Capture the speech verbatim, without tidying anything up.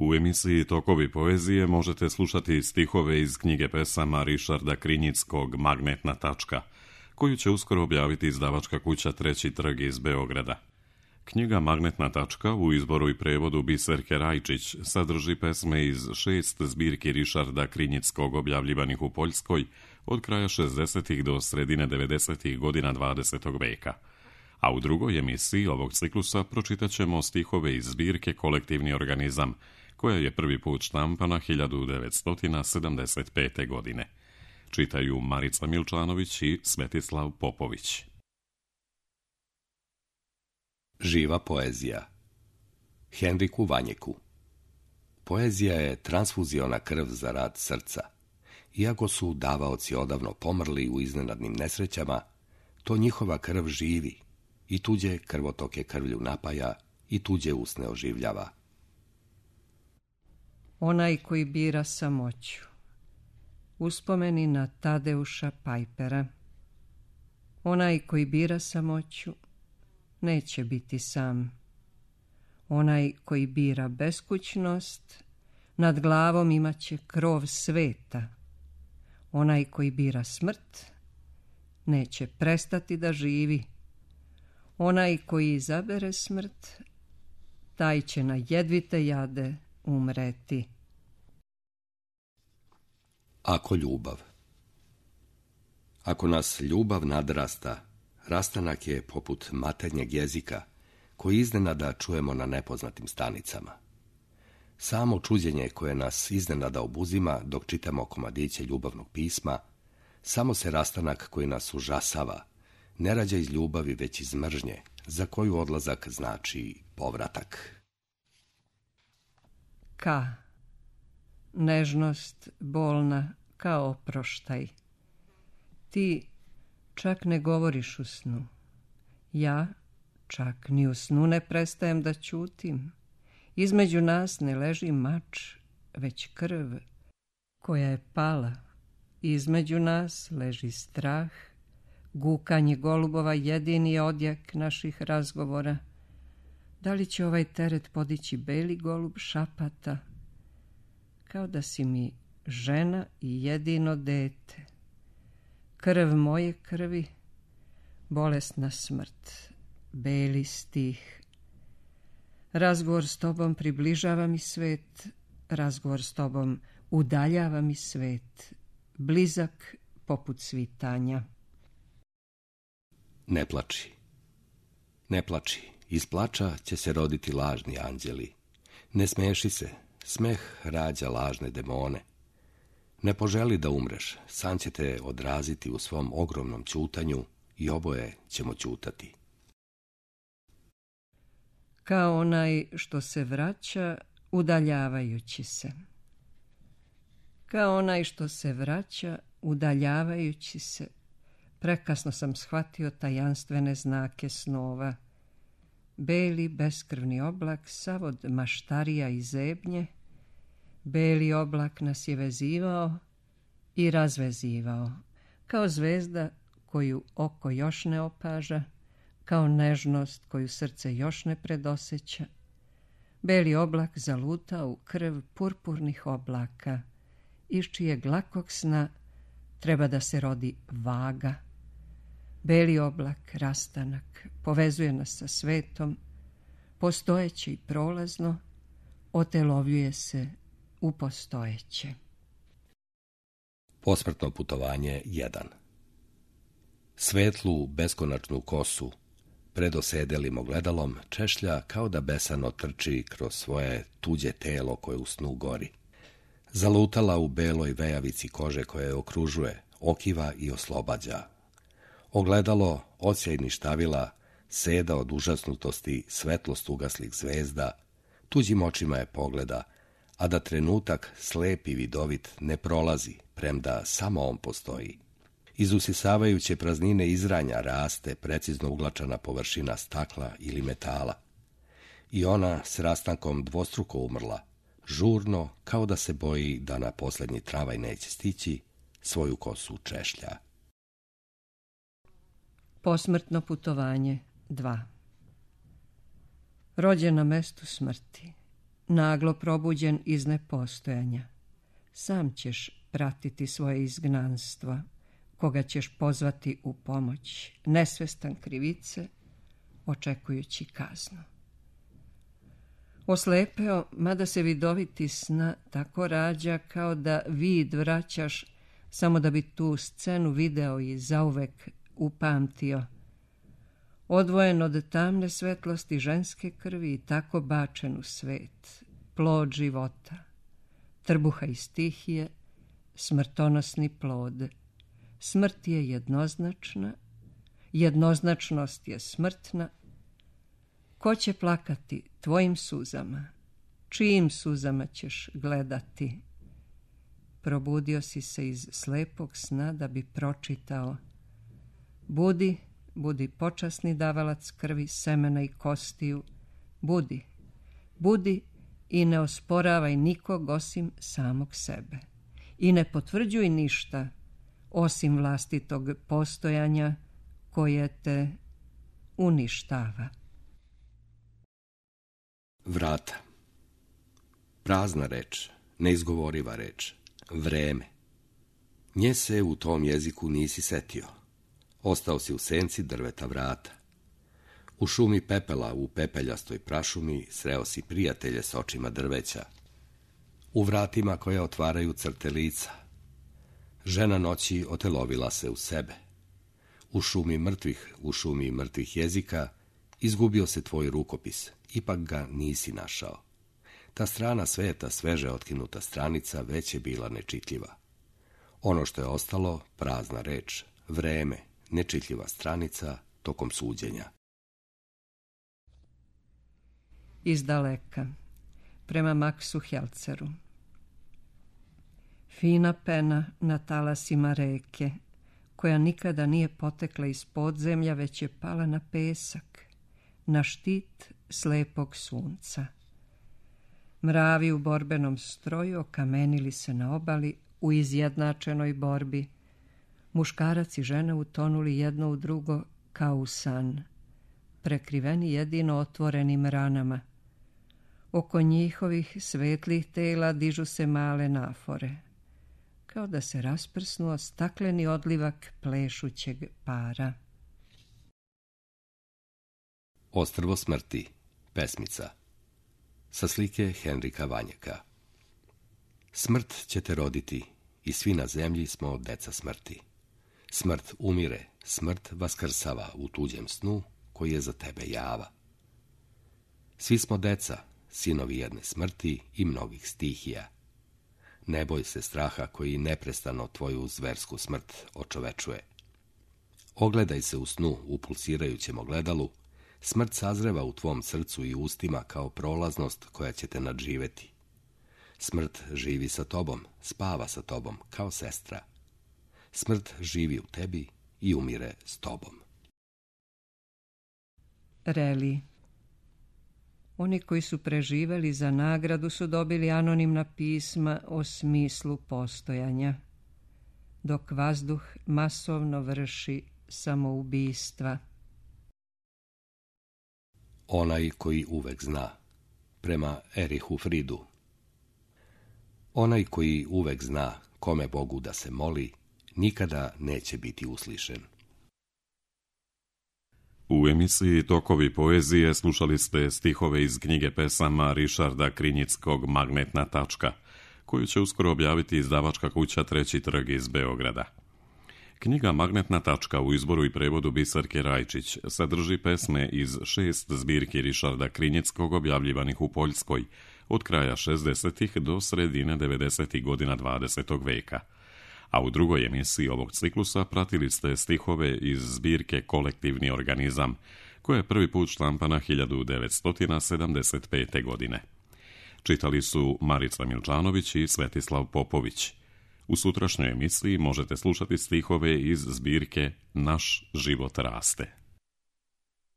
U emisiji Tokovi poezije možete slušati stihove iz knjige pesama Rišarda Krinjickog Magnetna tačka, koju će uskoro objaviti izdavačka kuća Treći trg iz Beograda. Knjiga Magnetna tačka u izboru i prevodu Biserke Rajčić sadrži pesme iz šest zbirki Rišarda Krinjickog objavljivanih u Poljskoj od kraja šezdesetih do sredine devedesetih godina dvadesetog veka. A u drugoj emisiji ovog ciklusa pročitat ćemo stihove iz zbirke Kolektivni organizam, koja je prvi put štampana hiljadu devetsto sedamdeset pete. godine. Čitaju Marica Milčanović i Svetislav Popović. Živa poezija. Henriku Vanjeku. Poezija je transfuziona krv za rad srca. Iako su davaoci odavno pomrli u iznenadnim nesrećama, to njihova krv živi i tuđe krvotoke krvlju napaja i tuđe usne oživljava. Onaj koji bira samoću. Uspomeni na Tadeuša Pajpera. Onaj koji bira samoću neće biti sam. Onaj koji bira beskućnost nad glavom imaće krov sveta. Onaj koji bira smrt neće prestati da živi. Onaj koji izabere smrt, taj će na jedvite jade umreti. Ako ljubav. Ako nas ljubav nadrasta, rastanak je poput maternjeg jezika koji iznenada čujemo na nepoznatim stanicama. Samo čuđenje koje nas iznenada obuzima dok čitamo komadiće ljubavnog pisma, samo se rastanak koji nas užasava, ne rađa iz ljubavi već iz mržnje, za koju odlazak znači povratak. Ka. Nežnost bolna kao oproštaj. Ti čak ne govoriš u snu. Ja čak ni u snu ne prestajem da ćutim. Između nas ne leži mač, već krv koja je pala. Između nas leži strah. Gukanje golubova jedini je odjek naših razgovora. Da li će ovaj teret podići beli golub šapata? Kao da si mi žena i jedino dete. Krv moje krvi, bolesna smrt, beli stih. Razgovor s tobom približava mi svet, razgovor s tobom udaljava mi svet, blizak poput svitanja. Ne plači. Ne plači. Iz plača će se roditi lažni anđeli. Ne smeši se. Smeh rađa lažne demone. Ne poželi da umreš. San će te odraziti u svom ogromnom ćutanju i oboje ćemo ćutati. Kao onaj što se vraća udaljavajući se. Kao onaj što se vraća udaljavajući se. Prekasno sam shvatio tajanstvene znake snova. Beli beskrvni oblak sav od maštarija i zebnje. Beli oblak nas je vezivao i razvezivao. Kao zvezda koju oko još ne opaža. Kao nežnost koju srce još ne predoseća. Beli oblak zalutao u krv purpurnih oblaka, iz čijeg lakog sna treba da se rodi vaga. Beli oblak, rastanak, povezuje nas sa svetom, postojeće i prolazno, otelovljuje se u postojeće. Posmrtno putovanje jedan. Svetlu, beskonačnu kosu, pred osedelim ogledalom, češlja kao da besano trči kroz svoje tuđe telo koje u snu gori. Zalutala u beloj vejavici kože koje je okružuje, okiva i oslobađa. Ogledalo, odsjajni štavila, seda od užasnutosti svetlost ugaslih zvezda, tuđim očima je pogleda, a da trenutak slep i vidovit ne prolazi, premda samo on postoji. Iz usisavajuće praznine izranja raste precizno uglačana površina stakla ili metala. I ona s rastankom dvostruko umrla, žurno, kao da se boji da na posljednji travaj neće stići, svoju kosu češlja. Posmrtno putovanje dva. Rođen na mestu smrti, naglo probuđen iz nepostojanja. Sam ćeš pratiti svoje izgnanstvo, koga ćeš pozvati u pomoć, nesvestan krivice, očekujući kaznu. Oslepeo, mada se vidoviti sna tako rađa kao da vid vraćaš, samo da bi tu scenu video i zauvek upamtio. Odvojen od tamne svetlosti ženske krvi i tako bačen u svet, plod života, trbuha i stihije, smrtonosni plod. Smrt je jednoznačna, jednoznačnost je smrtna. Ko će plakati tvojim suzama? Čijim suzama ćeš gledati? Probudio si se iz slepog sna da bi pročitao. Budi, budi počasni davalac krvi, semena i kostiju. Budi, budi i ne osporavaj nikog osim samog sebe. I ne potvrđuj ništa osim vlastitog postojanja koje te uništava. Vrata. Prazna reč, neizgovoriva reč, vreme. Nje se u tom jeziku nisi setio. Ostao si u senci drveta vrata. U šumi pepela, u pepeljastoj prašumi, sreo si prijatelje s očima drveća. U vratima koja otvaraju crte lica. Žena noći otelovila se u sebe. U šumi mrtvih, u šumi mrtvih jezika, izgubio se tvoj rukopis, ipak ga nisi našao. Ta strana sveta, sveže otkinuta stranica, već je bila nečitljiva. Ono što je ostalo, prazna reč, vreme, nečitljiva stranica tokom suđenja. Iz daleka, prema Maksu Helceru. Fina pena na talasima reke, koja nikada nije potekla iz podzemlja, već je pala na pesak, na štit slepog sunca. Mravi u borbenom stroju okamenili se na obali u izjednačenoj borbi. Muškarac i žena utonuli jedno u drugo kao u san, prekriveni jedino otvorenim ranama. Oko njihovih svetlih tela dižu se male nafore, kao da se rasprsnuo stakleni odlivak plešućeg para. Ostrvo smrti, pesmica. Sa slike Henrika Vanjeka. Smrt će te roditi i svi na zemlji smo deca smrti. Smrt umire, smrt vaskrsava u tuđem snu koji je za tebe java. Svi smo deca, sinovi jedne smrti i mnogih stihija. Ne boj se straha koji neprestano tvoju zversku smrt očovečuje. Ogledaj se u snu u pulsirajućem ogledalu, smrt sazreva u tvom srcu i ustima kao prolaznost koja će te nadživeti. Smrt živi sa tobom, spava sa tobom kao sestra. Smrt živi u tebi i umire s tobom. Reli. Oni koji su preživeli za nagradu su dobili anonimna pisma o smislu postojanja, dok vazduh masovno vrši samoubistva. Onaj koji uvek zna, prema Erihu Fridu. Onaj koji uvek zna kome Bogu da se moli, nikada neće biti uslišen. U emisiji Tokovi poezije slušali ste stihove iz knjige pesama Rišarda Krinjickog Magnetna tačka, koju će uskoro objaviti izdavačka kuća Treći trg iz Beograda. Knjiga Magnetna tačka u izboru i prevodu Biserke Rajčić sadrži pesme iz šest zbirki Rišarda Krinjickog objavljivanih u Poljskoj od kraja šezdesetih do sredine devedesetih godina dvadesetog veka. A u drugoj emisiji ovog ciklusa pratili ste stihove iz zbirke Kolektivni organizam, koja je prvi put štampana hiljadu devetsto sedamdeset pete. godine. Čitali su Marica Milčanović i Svetislav Popović. U sutrašnjoj emisiji možete slušati stihove iz zbirke Naš život raste.